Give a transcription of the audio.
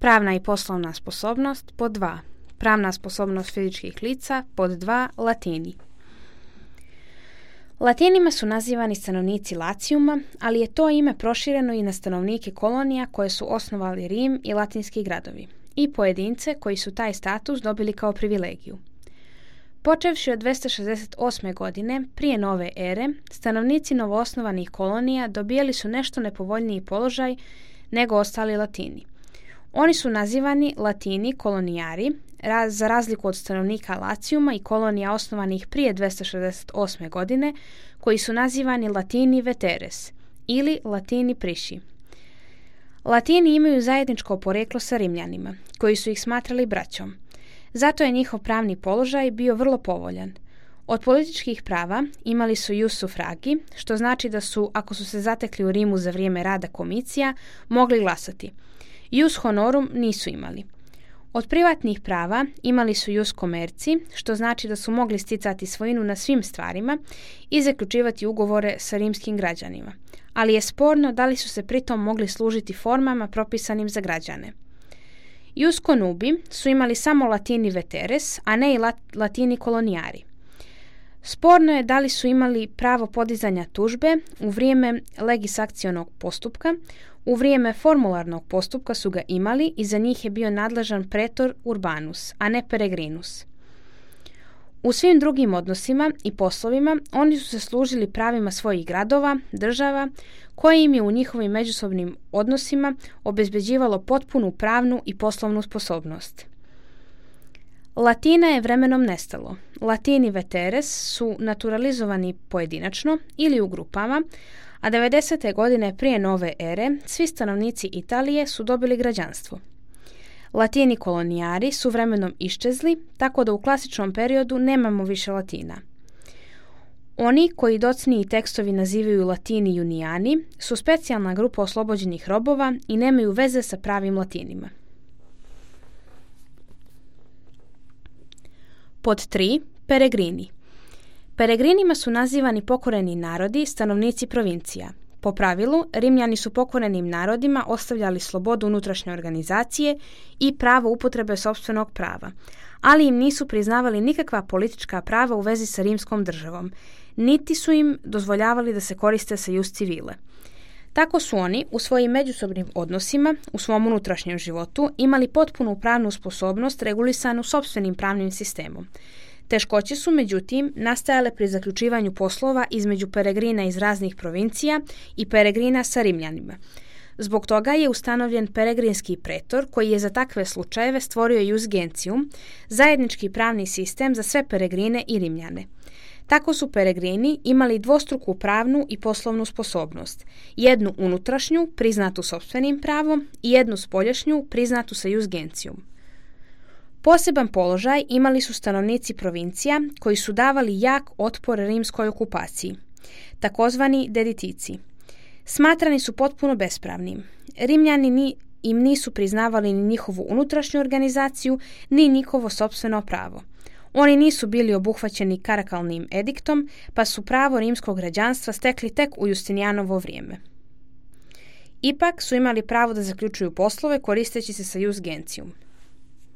pravna i poslovna sposobnost, pod 2. Pravna sposobnost fizičkih lica, pod 2. Latini. Latinima su nazivani stanovnici Lacijuma, ali je to ime prošireno i na stanovnike kolonija koje su osnovali Rim i latinski gradovi i pojedince koji su taj status dobili kao privilegiju. Počevši od 268. godine prije nove ere, stanovnici novoosnovanih kolonija dobijali su nešto nepovoljniji položaj nego ostali Latini. Oni su nazivani Latini kolonijari, za razliku od stanovnika Lacijuma i kolonija osnovanih prije 268. godine, koji su nazivani Latini veteres ili Latini priši. Latini imaju zajedničko poreklo sa Rimljanima, koji su ih smatrali braćom. Zato je njihov pravni položaj bio vrlo povoljan. Od političkih prava imali su ius suffragi, što znači da su, ako su se zatekli u Rimu za vrijeme rada komicija, mogli glasati. Ius honorum nisu imali. Od privatnih prava imali su ius commerci, što znači da su mogli sticati svojinu na svim stvarima i zaključivati ugovore sa rimskim građanima. Ali je sporno da li su se pritom mogli služiti formama propisanim za građane. Ius conubi su imali samo Latini veteres, a ne i Latini kolonijari. Sporno je da li su imali pravo podizanja tužbe u vrijeme legisakcionog postupka. U vrijeme formularnog postupka su ga imali i za njih je bio nadležan pretor urbanus, a ne peregrinus. U svim drugim odnosima i poslovima oni su se služili pravima svojih gradova, država, koje im je u njihovim međusobnim odnosima obezbeđivalo potpunu pravnu i poslovnu sposobnost. Latina je vremenom nestalo. Latini veteres su naturalizovani pojedinačno ili u grupama, a 90. godine prije nove ere svi stanovnici Italije su dobili građanstvo. Latini kolonijari su vremenom iščezli, tako da u klasičnom periodu nemamo više Latina. Oni, koji docniji tekstovi nazivaju Latini junijani, su specijalna grupa oslobođenih robova i nemaju veze sa pravim Latinima. Pod 3. Peregrini. Peregrinima su nazivani pokoreni narodi, stanovnici provincija. Po pravilu, Rimljani su pokorenim narodima ostavljali slobodu unutrašnje organizacije i pravo upotrebe sopstvenog prava, ali im nisu priznavali nikakva politička prava u vezi sa rimskom državom, niti su im dozvoljavali da se koriste sa ius civile. Tako su oni u svojim međusobnim odnosima, u svom unutrašnjem životu, imali potpunu pravnu sposobnost regulisanu sopstvenim pravnim sistemom. Teškoće su, međutim, nastajale pri zaključivanju poslova između peregrina iz raznih provincija i peregrina sa Rimljanima. Zbog toga je ustanovljen peregrinski pretor koji je za takve slučajeve stvorio ius gentium, zajednički pravni sistem za sve peregrine i Rimljane. Tako su peregrini imali dvostruku pravnu i poslovnu sposobnost, jednu unutrašnju, priznatu sopstvenim pravom, i jednu spoljašnju, priznatu sa ius gentium. Poseban položaj imali su stanovnici provincija koji su davali jak otpor rimskoj okupaciji, takozvani deditici. Smatrani su potpuno bespravnim. Rimljani im nisu priznavali ni njihovu unutrašnju organizaciju, ni njihovo sopstveno pravo. Oni nisu bili obuhvaćeni karakalnim ediktom, pa su pravo rimskog građanstva stekli tek u Justinijanovo vrijeme. Ipak su imali pravo da zaključuju poslove koristeći se sa ius gentium.